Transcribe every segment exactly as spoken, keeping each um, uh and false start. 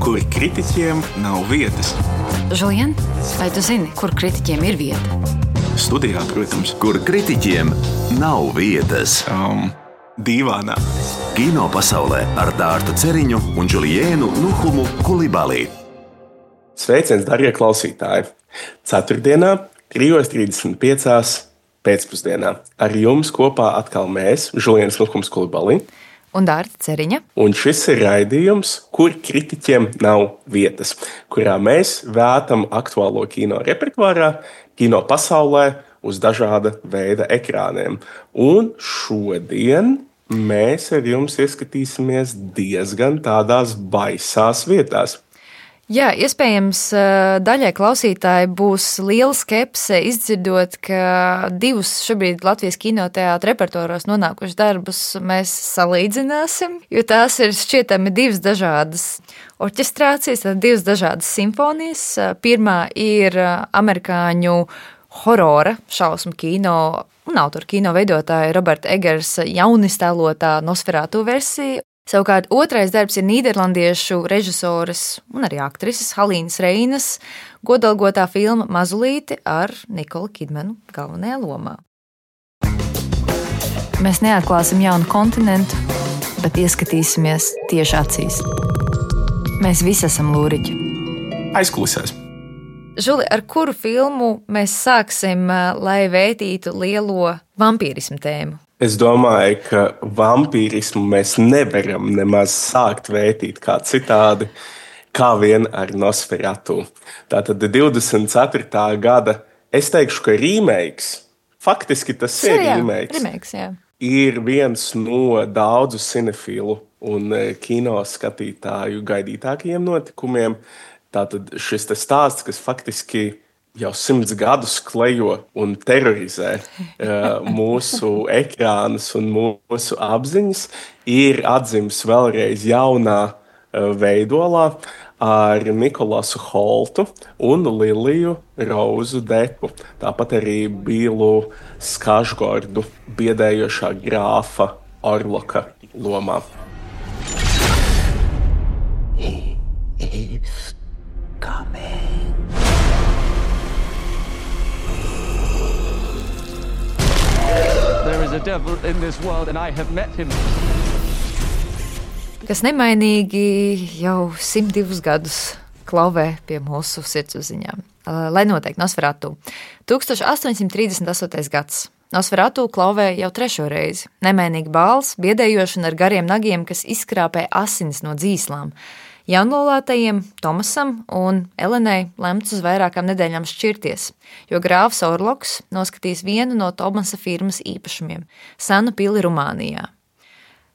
kur kritiķiem nav vietas. Žulien, vai tu zini, kur kritiķiem ir vieta? Studijā, protams. Kur kritiķiem nav vietas. Um, dīvānā. Kino pasaulē ar Dārtu Ceriņu un Džuliēnu Nuhumu Kulibalī. Sveiciens, darbie klausītāji! Ceturtdienā, trīs trīsdesmit pieci pēcpusdienā. Ar jums kopā atkal mēs, Džuliēns Nuhums Kulibalī. Un Dārta Ceriņa. Un šis ir raidījums, kur kritiķiem nav vietas, kurā mēs vētam aktuālo kino repertuārā, kino pasaulē uz dažāda veida ekrāniem. Un šodien mēs ar jums ieskatīsimies diezgan tādās baisās vietās. Jā, iespējams, daļai klausītāji būs liela skepse izdzirdot, ka divus šobrīd Latvijas kinoteātra repertuāros nonākušas darbus mēs salīdzināsim, jo tās ir šķietami divas dažādas orķestrācijas, divas dažādas simfonijas. Pirmā ir amerikāņu horora šausmu kino un autoru kino veidotāja Roberta Egersa jauniztēlotā Nosferatu versija. Savukārt otrais darbs ir nīderlandiešu režisoras un arī aktrises Halīnas Reinas godalgotā filma Mazulīte ar Nikolu Kidmanu galvenajā lomā. Mēs neatklāsim jaunu kontinentu, bet ieskatīsimies tieši acīs. Mēs visi esam lūriķi. Aizkulisēs. Žuli, ar kuru filmu mēs sāksim, lai vētītu lielo vampīrismu tēmu? Es domāju, ka vampīrismu mēs nevaram nemaz sākt vētīt kā citādi, kā vien ar Nosferatu. Tātad divdesmit ceturtā gada, es teikšu, ka remakes, faktiski tas ir jā, remakes, remakes jā. Ir viens no daudzu cinefilu un kino skatītāju gaidītākajiem notikumiem. Tātad šis te stāsts, kas faktiski jau simts gadus klejo un terorizē uh, mūsu ekrānus un mūsu apziņas, ir atzims vēlreiz jaunā uh, veidolā ar Nikolasu Holtu un Liliju Rozu Depu. Tāpat arī Bīlu Skažgordu biedējošā grāfa Orloka lomā. He is coming. There is a devil in this world and I have met him. Kas nemainīgi jau simt divus gadus klauvē pie mūsu sirdsapziņām. Lai noteikti Nosferatu. tūkstoš astoņsimt trīsdesmit astotais gads. Nosferatu klauvē jau trešo reizi. Nemainīgi bāls, biedējoši un ar gariem nagiem, kas izskrāpē asinis no dzīslām. Jaunlaulātajiem Tomasam un Elenai lemts uz vairākām nedēļām šķirties, jo grāfs Orloks noskatīs vienu no Tomasa firmas īpašumiem – senu pili Rumānijā.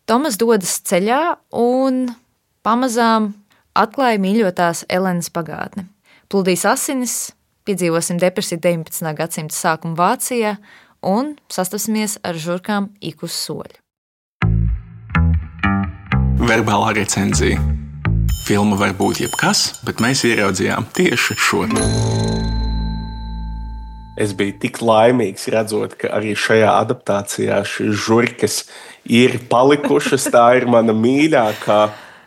Tomas dodas ceļā un pamazām atklāja mīļotās Elenas pagātni. Pludīs asinis, piedzīvosim depresiju deviņpadsmitā gadsimta sākuma Vācijā un sastapsimies ar žurkām ik uz soļa. Verbālā recenzija. Filma var būt jebkas, bet mēs ieraudzījām tieši šo. Es biju tik laimīgs redzot, ka arī šajā adaptācijā šīs žurkas ir palikušas. Tā ir mana mīļākā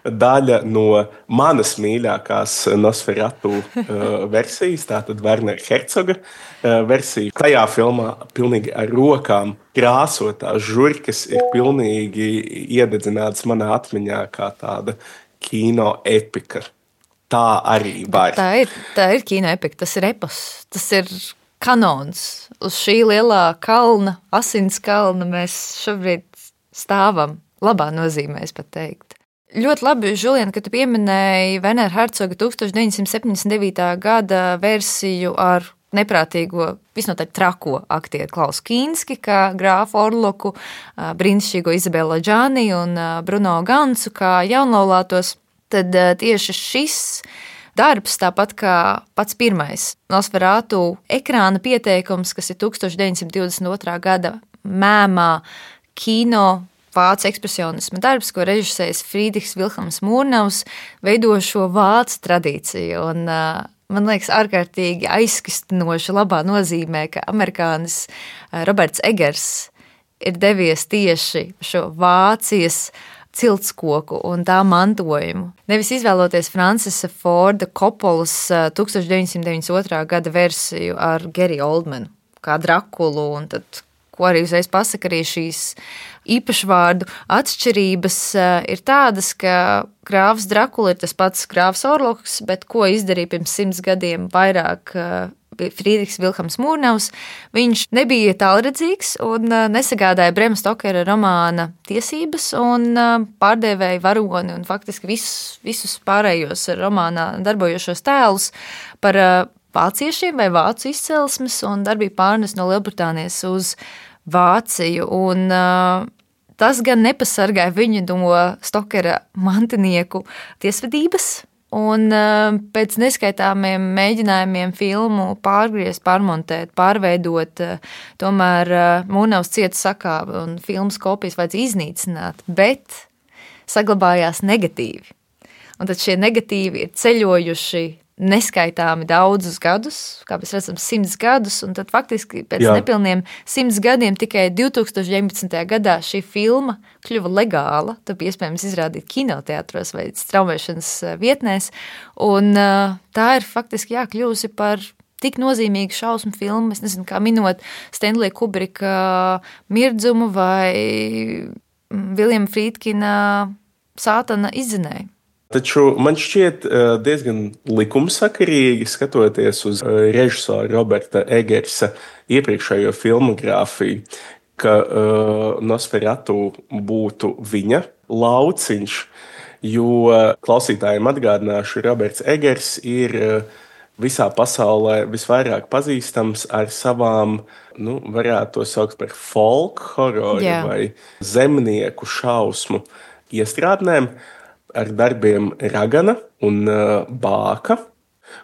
daļa no manas mīļākās Nosferatu uh, versijas, tātad Wernera Hercoga uh, versija. Tajā filmā pilnīgi ar rokām krāsotās žurkas ir pilnīgi iededzinātas manā atmiņā kā tāda kino epika. Tā arī var. Tā ir, tā ir kino epika, tas ir epos, tas ir kanons. Uz šī lielā kalna, asins kalna mēs šobrīd stāvam. Labā nozīmē, es pat teikt. Ļoti labi, Žulien, ka tu pieminēji Wernera Hercoga tūkstoš deviņsimt septiņdesmit devītā gada versiju ar neprātīgo, visnotaļ trako aktieru Klausu Kīnski, kā grāfu Orloku, brīnišķīgo Izabelu Džāni un Bruno Gansu, kā jaunlaulātos, tad tieši šis darbs, tāpat kā pats pirmais Nosferatu ekrāna pieteikums, kas ir tūkstoš deviņsimt divdesmit otrā gada mēmā kino vācu ekspresionisma darbs, ko režisējis Friedrichs Vilhelms Mūrnavs, veido šo vācu tradīciju. Un, uh, man liekas, ārkārtīgi aizkustinoši labā nozīmē, ka amerikānis Roberts Egers ir devies tieši šo Vācijas ciltskoku un tā mantojumu. Nevis izvēloties Francisa Forda Koppolas tūkstoš deviņsimt deviņdesmit otrā gada versiju ar Gary Oldmanu, kā Drakulu, un tad, ko arī uzreiz pasaka, arī šīs īpašvārdu atšķirības ir tādas, ka grāfs Drakula ir tas pats grāfs Orloks, bet ko izdarīja pirms simts gadiem vairāk Friedrichs Vilhelms Mūrnaus, viņš nebija tālredzīgs un nesagādāja Brema Stokera romāna tiesības un pārdēvēja varoni un faktiski visus, visus pārējos romānā darbojošos tēlus par vāciešiem vai vācu izcelsmes un darbību pārnes no Lielbritānijas uz Vāciju. Un tas gan nepasargāja viņu no Stokera mantinieku tiesvedības, un pēc neskaitāmiem mēģinājumiem filmu pārgriezt, pārmontēt, pārveidot, tomēr Mūrnaus cieta sakāve un filmas kopijas vajadzēja iznīcināt, bet saglabājās negatīvi. Un tad šie negatīvi ir ceļojuši neskaitāmi daudzus gadus, kā mēs redzam, simts gadus, un tad faktiski pēc Jā. nepilniem simts gadiem tikai divtūkstoš deviņpadsmitajā gadā šī filma kļuva legāla, tad bija iespējams izrādīt kinoteātros vai straumēšanas vietnēs, un tā ir faktiski jā, kļuvusi par tik nozīmīgu šausmu filmu, es nezinu, kā minot Stanley Kubrika Mirdzumu vai Viljama Frīdkina Sātana izdzinēju. Taču man šķiet diezgan likumsakarīgi, skatoties uz režisora Roberta Egersa iepriekšējo filmogrāfiju, ka uh, Nosferatu būtu viņa lauciņš, jo klausītājiem atgādināšu, Roberts Egers ir visā pasaulē visvairāk pazīstams ar savām, nu, varētu to saukt par folk hororu yeah. vai zemnieku šausmu iestrādnēm, ar darbiem Ragana un uh, Bāka.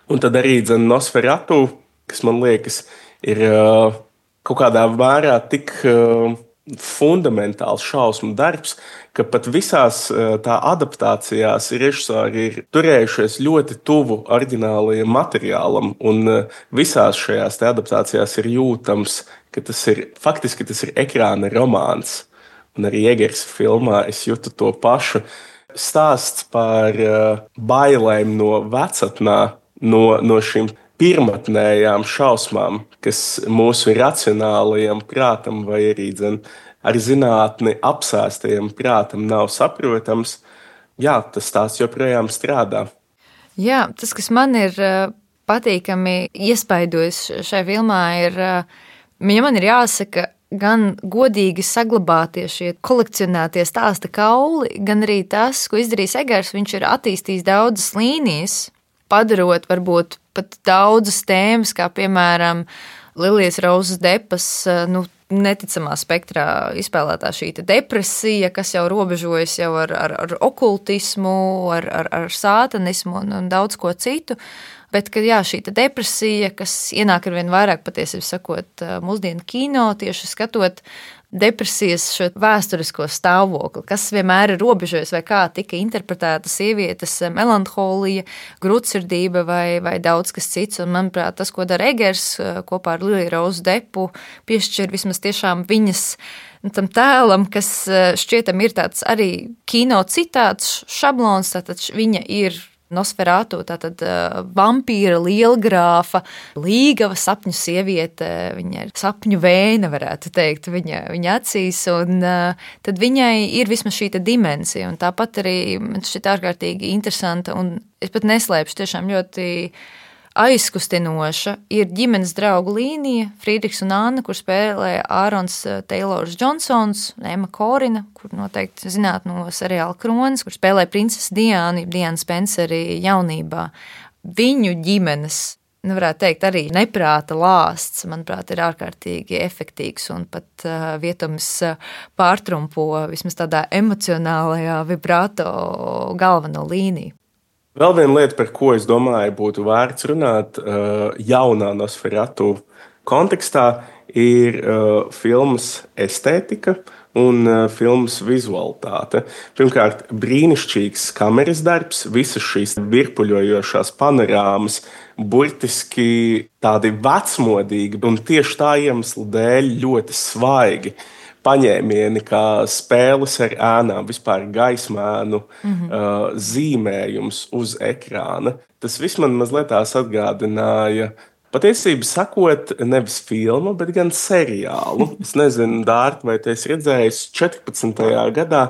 Un tad arī dzen Nosferatu, kas man liekas ir uh, kaut kādā mērā tik uh, fundamentāls šausmu darbs, ka pat visās uh, tā adaptācijās režisori ir turējušies ļoti tuvu oriģinālajam materiālam, un uh, visās šajās te adaptācijās ir jūtams, ka tas ir, faktiski tas ir ekrāna romāns. Un arī Egers filmā es jūtu to pašu. Stāsts par uh, bailēm no vecatnā, no, no šīm pirmatnējām šausmām, kas mūsu racionālajam prātam vai arī dzen, ar zinātni apsēstajam prātam nav saprotams. Jā, tas stāsts joprojām strādā. Jā, tas, kas man ir uh, patīkami iespaidojis šajā filmā, ir, uh, ja man ir jāsaka, gan godīgi saglabātie šie kolekcionētie stāsta kauli, gan arī tas, ko izdarījis Egers, viņš ir attīstījis daudzas līnijas, padarot varbūt pat daudzas tēmas, kā piemēram Lilijas Rozes Depas, nu, neticamā spektrā izspēlētā šī depresija, kas jau robežojas jau ar, ar, ar okultismu, ar, ar, ar sātanismu un, un daudz ko citu. Bet, ka jā, šī depresija, kas ienāk ar vien vairāk, patiesībā sakot, mūsdienu kino, tieši skatot depresijas šo vēsturisko stāvokli, kas vienmēr ir robežojas vai kā tika interpretēta sievietes melanholija, grūtsirdība vai, vai daudz kas cits. Un, manuprāt, tas, ko dara Egers kopā ar Liliju Rozu Depu, piešķir vismaz tiešām viņas tam tēlam, kas šķietam ir tāds arī kino citāts, šablons, tātad viņa ir Nosferatu, tātad uh, vampīra, lielgrāfa, līgava sapņu sieviete, viņa ir sapņu vēna, varētu teikt, viņa, viņa acīs, un uh, tad viņai ir vismaz šī dimensija, un tāpat arī man šķiet ārkārtīgi interesanta, un es pat neslēpšu, tiešām ļoti aizkustinoša ir ģimenes draugu līnija, Friedrichs un Anna, kur spēlē Ārons Teilors Džonsons, Emma Korina, kur noteikti zināt no seriāla Kronis, kur spēlē princesi Diānu, Diānu Spenceri jaunībā. Viņu ģimenes, nu varētu teikt, arī neprāta lāsts, manuprāt, ir ārkārtīgi efektīvs un pat uh, vietums uh, pārtrumpo vismaz tādā emocionālajā vibrato galveno līniju. Vēl viena lieta, par ko es domāju, būtu vērts runāt jaunā Nosferatu kontekstā, ir filmas estētika un filmas vizualitāte. Pirmkārt, brīnišķīgs kameras darbs, visas šīs virpuļojošās panorāmas, burtiski tādi vecmodīgi un tieši tā iemesla dēļ ļoti svaigi. paņēmieni, kā spēles ar ēnām, vispār gaismēnu mm-hmm. uh, zīmējums uz ekrāna. Tas viss man mazliet tās atgādināja. Patiesībā sakot, nevis filmu, bet gan seriālu. Es nezinu, Dārta, vai tu esi redzējis, četrpadsmitajā gadā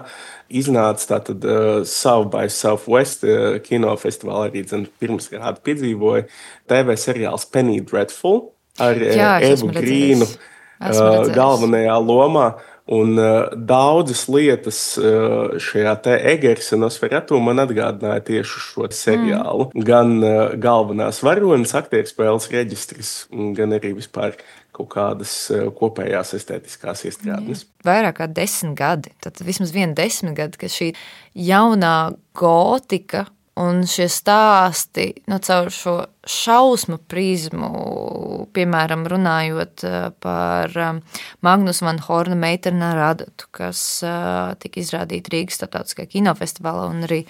iznāca tātad uh, South by Southwest uh, kinofestivālā, arī dzen, pirms kādu piedzīvoja T V seriāls Penny Dreadful ar Jā, Evu Grīnu uh, galvenajā lomā. Un uh, daudzas lietas uh, šajā te Egersa Nosferatu man atgādināja tieši šo seriālu. Mm. Gan uh, galvenās varonas aktierspēles reģistris, gan arī vispār kaut kādas uh, kopējās estētiskās iestrādnes. Vairāk kā desmit gadi, tad vismaz viena desmit gadi, ka šī jaunā gotika un šie stāsti, nu, caur šo šausmu prizmu, piemēram, runājot par Magnus van Horna Meitena Radotu, kas tika izrādīta Rīgas starptautiskajā kinofestivālā un arī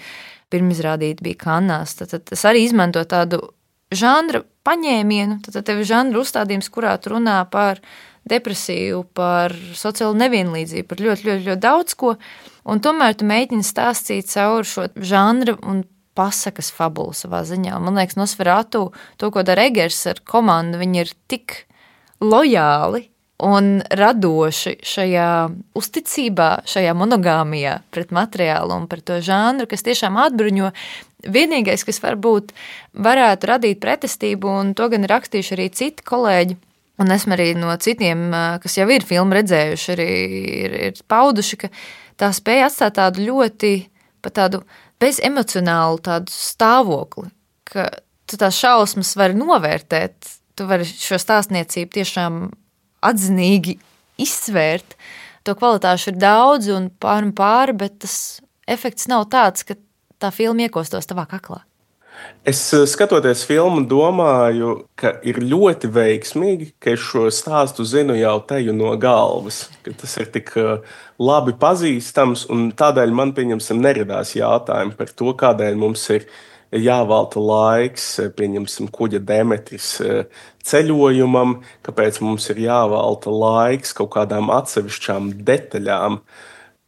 pirmizrādīta bija Kannās. Tad, tad tas arī izmanto tādu žanra paņēmienu, tad tev ir žanra uzstādījums, kurā tu runā par depresiju, par sociālo nevienlīdzību, par ļoti, ļoti, ļoti daudz ko, un tomēr tu mēģini stāstīt caur šo žanra un pasakas fabulu savā ziņā. Man liekas, Nosferatu, to, ko dara Egers ar komandu, viņi ir tik lojāli un radoši šajā uzticībā, šajā monogāmijā pret materiālu un par to žanru, kas tiešām atbruņo. Vienīgais, kas varbūt varētu radīt pretestību, un to gan ir rakstījuši arī citi kolēģi, un esmu arī no citiem, kas jau ir filmu redzējuši, arī ir, ir pauduši, ka tā spēja atstāt tādu ļoti, pat tādu bezemocionālu tādu stāvokli, ka tu tās šausmas vari novērtēt, tu vari šo stāstniecību tiešām atzinīgi izsvērt. To kvalitāšu ir daudz un pār un pāri, bet tas efekts nav tāds, ka tā filma iekostos tavā kaklā. Es skatoties filmu domāju, ka ir ļoti veiksmīgi, ka es šo stāstu zinu jau teju no galvas, ka tas ir tik labi pazīstams, un tādēļ man, pieņemsim, neradās jautājumi par to, kādēļ mums ir jāvelta laiks, pieņemsim, kuģa Demetris ceļojumam, kāpēc mums ir jāvelta laiks kaut kādām atsevišķām detaļām.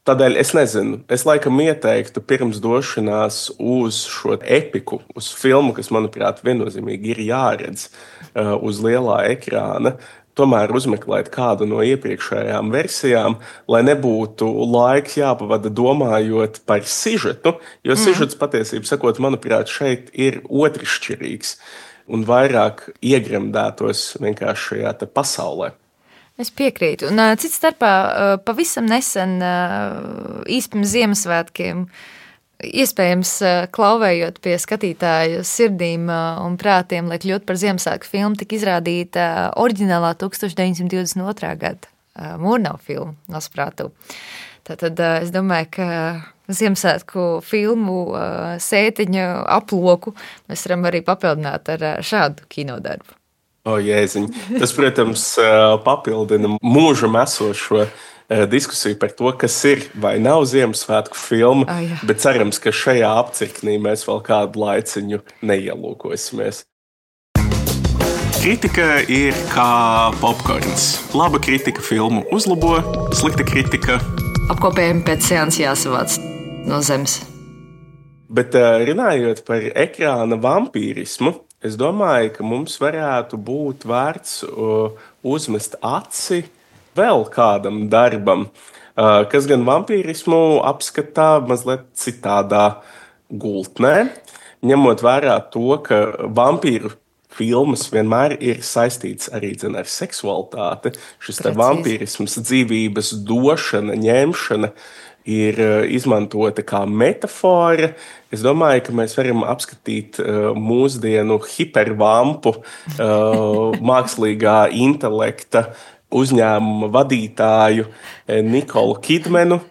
Tādēļ es nezinu, es laikam ieteiktu pirms došanās uz šo epiku, uz filmu, kas, manuprāt, viennozīmīgi ir jāredz uh, uz lielā ekrāna, tomēr uzmeklēt kādu no iepriekšējām versijām, lai nebūtu laiks jāpavada domājot par sižetu, jo mm. sižets patiesībā sakot, manuprāt, šeit ir otršķirīgs un vairāk iegremdētos vienkārši šajā te pasaulē. Es piekrītu. Un cits starpā pavisam nesen īsti pirms Ziemassvētkiem, iespējams klauvējot pie skatītāju sirdīm un prātiem, lai kļūtu par Ziemassvētku filmu, tika izrādīta oriģinālā tūkstoš deviņsimt divdesmit otrā gada Murnau filmu Nosferatu. Tātad es domāju, ka Ziemassvētku filmu sētiņa aploku mēs varam arī papildināt ar šādu kinodarbu. O, Jēziņ. Tas, protams, papildina mūžam esošo diskusiju par to, kas ir vai nav Ziemassvētku filma, oh, jā. Bet cerams, ka šajā apcirknī mēs vēl kādu laiciņu neielūkosimies. Kritika ir kā popkorns. Laba kritika filmu uzlabo, slikta kritika apkopējumi pēc seanses jāsavāc no zemes. Bet runājot par ekrāna vampīrismu, es domāju, ka mums varētu būt vērts uzmest aci vēl kādam darbam, kas gan vampīrismu apskatā mazliet citādā gultnē, ņemot vērā to, ka vampīru filmas vienmēr ir saistīts arī dzen, ar seksualitāti. Šis te vampīrisms, dzīvības došana, ņemšana ir izmantota kā metafora. Es domāju, ka mēs varam apskatīt uh, mūsdienu hipervampu, uh, mākslīgā intelekta uzņēmuma vadītāju Nikolu Kidmenu,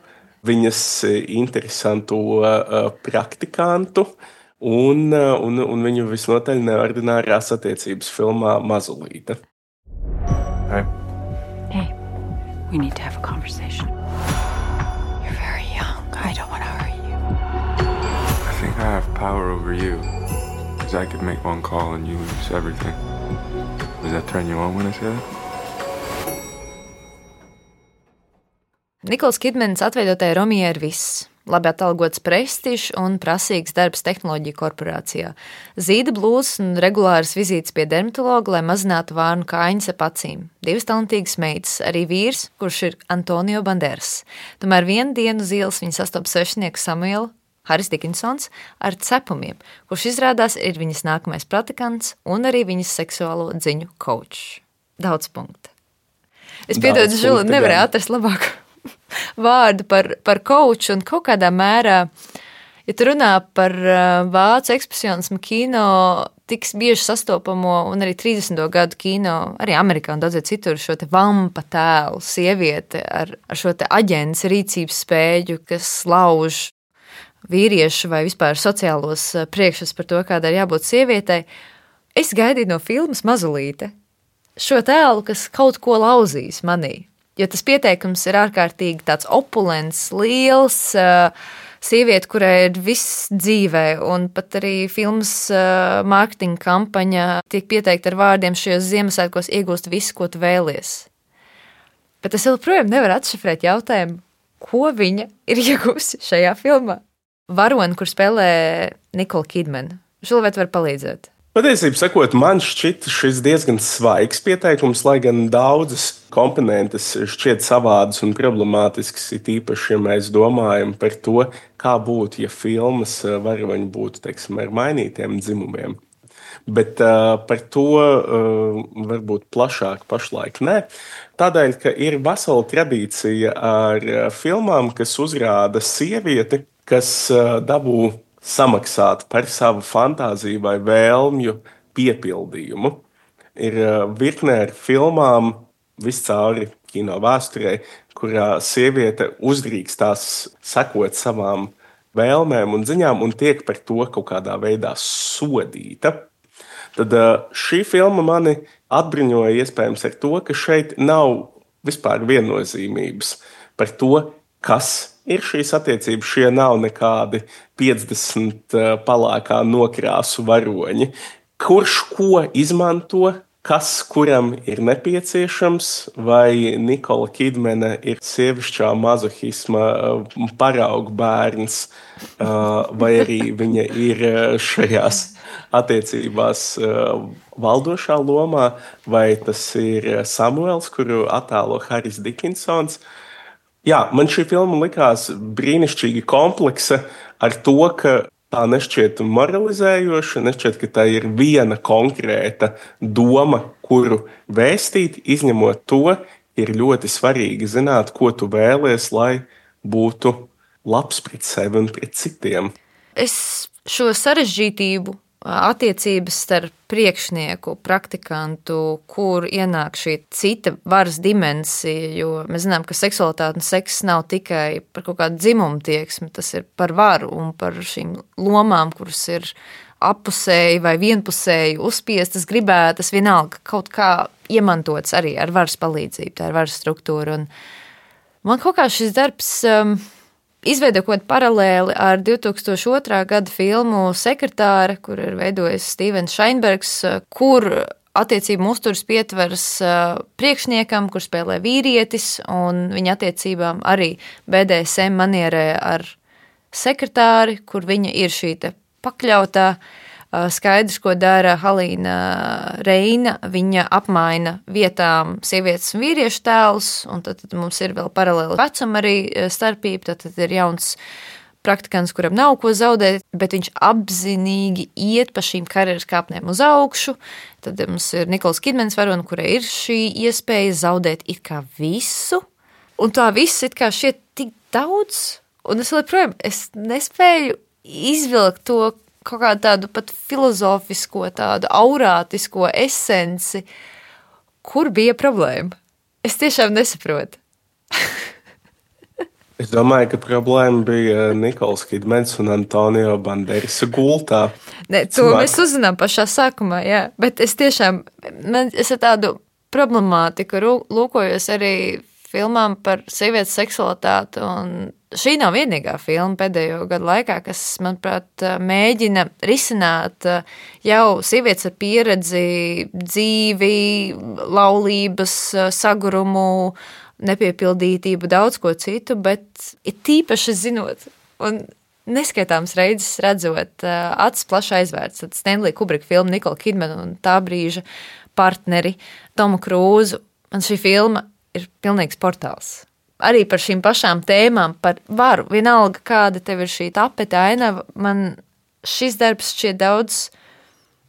viņas interesantu uh, praktikantu un, uh, un, un viņu visnotaļ neordinārās attiecības filmā Mazulīte. Hey. Hey, we need to have a conversation. I don't want to hurt you. I think I have power over you. Because I could make one call and you lose everything. Does that turn you on when I say that? Nikols Kidmans atveidotajai Romijai ir viss. Labi atalgots prestižs un prasīgs darbs tehnoloģiju korporācijā. Zīda blūzas un regulāras vizītes pie dermatologa, lai mazinātu vārnu kājiņas ap acīm. Divas talantīgas meitas, arī vīrs, kurš ir Antonio Banderas. Tomēr vienu dienu uz ielas viņa sastopa svešnieku Samuelu, Haris Dikinsons, ar cepumiem, kurš izrādās ir viņas nākamais praktikants un arī viņas seksuālo dziņu kočs. Daudz punktu. Es piedodu, Žuli, nevarēju atrast labāku vārdu par, par koču un kaut kādā mērā, ja tu runā par vācu ekspresionismu kino, tiks bieži sastopamo un arī trīsdesmito gadu kino, arī Amerikā un daudzie citur šo te vampa tēlu, sieviete ar, ar šo te aģents rīcības spēju, kas lauž vīriešu vai vispār sociālos priekšstats par to, kāda ir jābūt sievietei. Es gaidīju no filmas Mazulīte šo tēlu, kas kaut ko lauzīs manī. Jo tas pieteikums ir ārkārtīgi tāds opulents, liels, sieviete, kurai ir viss dzīvē, un pat arī filmas mārketinga kampaņa tiek pieteikta ar vārdiem šajos Ziemassvētkos iegūst visu, ko tu vēlies. Bet es joprojām nevaru atšifrēt jautājumu, ko viņa ir iegūsi šajā filmā. Varoni, kur spēlē Nikola Kidmana. Žuli, vai tu vari palīdzēt? Patiesībā sakot, man šķiet šis diezgan svaigs pieteikums, lai gan daudzas komponentes šķiet savādas un problemātiskas, it īpaši, ja mēs domājam par to, kā būtu, ja filmas varoņi būtu, teiksim, ar mainītiem dzimumiem. Bet uh, par to uh, varbūt plašāk pašlaik nē. Tādēļ, ka ir vesela tradīcija ar filmām, kas uzrāda sievieti, kas uh, dabū samaksāt par savu fantāziju vai vēlmju piepildījumu. Ir virknē ar filmām viscauri kino vēsturē, kurā sieviete uzdrīkstās sekot savām vēlmēm un ziņām un tiek par to kaut kādā veidā sodīta. Tad šī filma mani atbruņoja iespējams ar to, ka šeit nav vispār viennozīmības par to, kas ir šīs attiecības. Šie nav nekādi piecdesmit palākā nokrāsu varoņi. Kurš ko izmanto, kas kuram ir nepieciešams, vai Nikola Kidmana ir sievišķā mazohisma paraugu bērns, vai arī viņa ir šajās attiecībās valdošā lomā, vai tas ir Samuels, kuru attēlo Haris Dikinsons. Jā, man šī filma likās brīnišķīgi kompleksa ar to, ka tā nešķiet moralizējoša, nešķiet, ka tā ir viena konkrēta doma, kuru vēstīt, izņemot to, ir ļoti svarīgi zināt, ko tu vēlies, lai būtu labs pret sevi un pret citiem. Es šo sarežģītību, attiecības starp priekšnieku, praktikantu, kur ienāk šī cita varas dimensija, jo mēs zinām, ka seksualitāte un seks nav tikai par kaut kādu dzimumu tieksmi, tas ir par varu un par šīm lomām, kuras ir appusēji vai vienpusēji uzspiestas, gribētas, vienalga kaut kā iemantots arī ar varas palīdzību, tā ir varas struktūra. Un man kaut kā šis darbs um, izveido kaut kādu paralēli ar divi tūkstoši otrā gada filmu Sekretāre, kur ir veidojis Stevens Šainbergs, kur attiecību uzturs pietveras priekšniekam, kur spēlē vīrietis, un viņa attiecībām arī B D S M manierē ar sekretāri, kur viņa ir šī te pakļautā. Skaidrs, ko dara Halīna Reina, viņa apmaina vietām sievietes un vīriešu tēlus, un tad, tad mums ir vēl paralēli vecuma arī starpība, tad, tad ir jauns praktikants, kuram nav ko zaudēt, bet viņš apzinīgi iet pa šīm karjeras kāpnēm uz augšu. Tad mums ir Nikols Kidmans varona, kurai ir šī iespēja zaudēt it kā visu, un tā viss it kā šķiet tik daudz, un es joprojām es nespēju izvilkt to kaut kādu tādu pat filozofisko, tādu aurātisko esenci, kur bija problēma. Es tiešām nesaprotu. Es domāju, ka problēma bija Nikols Kidmans un Antonio Banderasa gultā. Ne, to Smāk. Mēs uzzinām pašā sākumā, jā, bet es tiešām, man, es ar tādu problemātiku lūkojos arī filmām par sievietes seksualitāti, un šī nav vienīgā filma pēdējo gadu laikā, kas, manuprāt, mēģina risināt jau sievietes ar pieredzi, dzīvi, laulības, sagurumu, nepiepildītību, daudz ko citu, bet ir tīpaši zinot, un neskaitāms reizes redzot acis plaši aizvērts, tad Stanley Kubrika filmu Nikola Kidmana un tā brīža partneri Tomu Krūzu. Man šī filma ir pilnīgs portāls. Arī par šīm pašām tēmām, par varu, vienalga kāda tev ir šī tapete ainava, man šis darbs šķiet daudz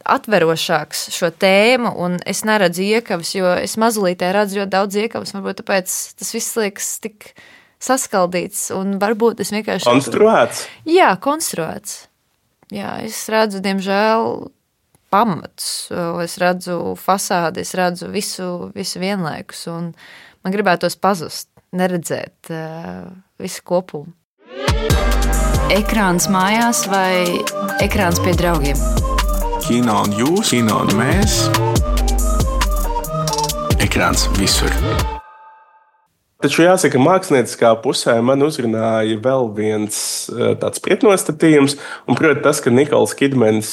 atverošāks šo tēmu, un es neredzu iekavas, jo es mazulītē redzu ļoti daudz iekavas, varbūt tāpēc tas viss liekas tik saskaldīts, un varbūt es vienkārši... Konstruēts? Jā, konstruēts. Jā, es redzu, diemžēl, pamats, es redzu fasādi, es redzu visu, visu vienlaikus, un man gribētos pazust, neredzēt uh, visu kopumu. Ekrāns mājās vai ekrāns pie draugiem? Kino un jūs, kino un mēs. Ekrāns visur. Taču jāsaka, mākslinieckā pusē man uzrunāja vēl viens tāds pretnostatījums, un proti tas, ka Nikols Kidmans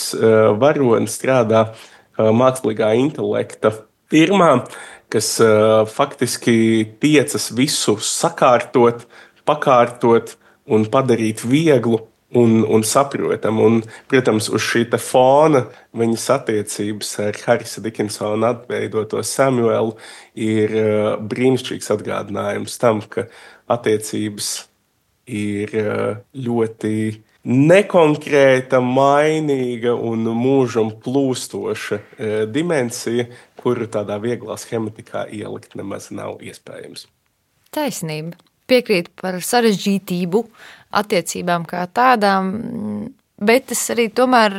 varonis strādā mākslīgā intelekta firmā, kas faktiski tiecas visu sakārtot, pakārtot un padarīt vieglu un, un saprotamu. Un, protams, uz šī te fona viņas attiecības ar Harrisa Dickinsona atveidoto Samuelu ir brīnišķīgs atgādinājums tam, ka attiecības ir ļoti nekonkrēta, mainīga un mūžam plūstoša dimensija, kuru tādā vieglā schematikā ielikt nemaz nav iespējams. Taisnība. Piekrīt par sarežģītību attiecībām kā tādām, bet es arī tomēr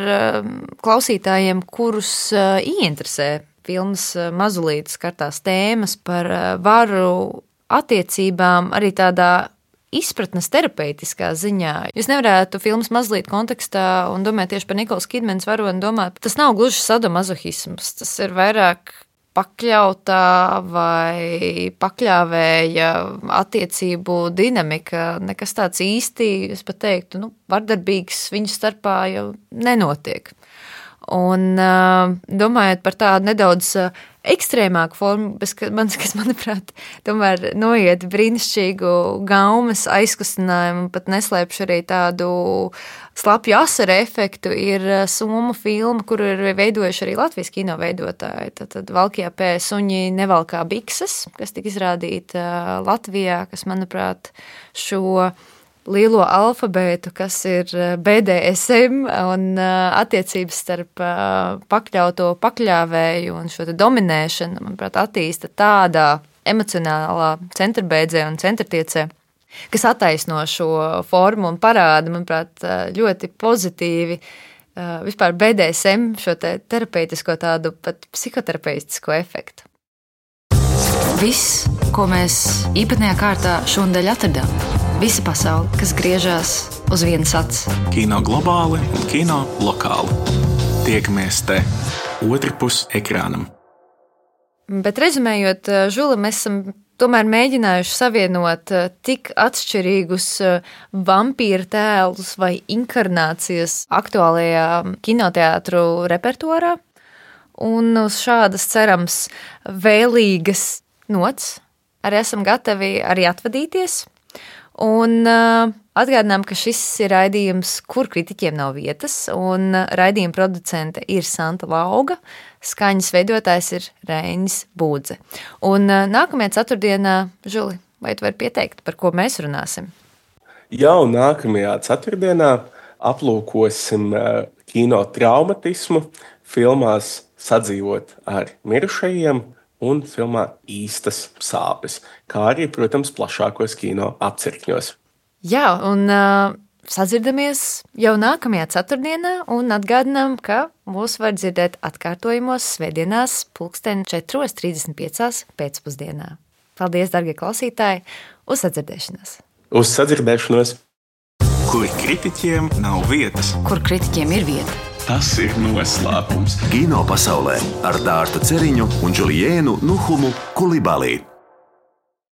klausītājiem, kurus ieinteresē filmas mazulītes kartās tēmas par varu attiecībām, arī tādā izpratnes terapeitiskā ziņā. Jūs nevarētu filmas mazliet kontekstā un domāt tieši par Nikolas Kidmanas varoni domāt, tas nav gluži sadomazohisms, tas ir vairāk pakļautā vai pakļāvēja attiecību dinamika, nekas tāds īsti, es pat teiktu, nu, vardarbīgs viņu starpā jau nenotiek. Un domājot par tādu nedaudz ekstrēmāku formu, kas, kas manuprāt, tomēr noiet brīnišķīgu gaumes aizkustinājumu, pat neslēpšu arī tādu slapju asaru efektu, ir somu filma, kuru ir veidojuši arī Latvijas kino veidotāji. Tad Valkijā pē suņi nevalkā bikses, kas tika izrādīta Latvijā, kas, manuprāt, šo lielo alfabētu, kas ir B D S M un attiecības starp pakļauto pakļāvēju un šo te dominēšanu, manuprāt, attīsta tādā emocionālā centrbeidzē un centrtiecē, kas attaisno šo formu un parāda, manuprāt, ļoti pozitīvi vispār B D S M šo te terapeitisko tādu pat psihoterapeitisko efektu. Viss, ko mēs īpatnējā kārtā šonadēļ atradām. Visa pasaule, kas griežās uz vienas acis. Kino globāli un kino lokāli. Tiekamies te otrpus ekrānam. Bet rezumējot, Žula, mēs esam tomēr mēģinājuši savienot tik atšķirīgus vampīra tēlus vai inkarnācijas aktuālajā kinoteātru repertuārā. Un uz šādas, cerams, vēlīgas nots arī esam gatavi arī atvadīties. Un uh, atgādinām, ka šis ir raidījums, kur kritiķiem nav vietas, un raidījuma producente ir Santa Lauga, skaņas veidotājs ir Reinis Būdze. Un uh, nākamajā ceturtdienā, Žuli, vai tu vari pieteikt, par ko mēs runāsim? Jau nākamajā ceturtdienā aplūkosim uh, kino traumatismu, filmās Sadzīvot ar mirušajiem un filmā Īstas sāpes, kā arī, protams, plašākos kino apcirkņos. Jā, un uh, sadzirdamies jau nākamajā ceturtdienā un atgādinām, ka mūs var dzirdēt atkārtojumos svētdienās pulksten četros trīsdesmit piecās pēcpusdienā. Paldies, dargie klausītāji, uz sadzirdēšanos! Uz sadzirdēšanos! Kur kritiķiem nav vietas. Kur kritiķiem ir vieta. Tas ir noslēpums. Kino pasaulē ar Dārtu Ceriņu un Džuliēnu Nuhumu Kulibalī.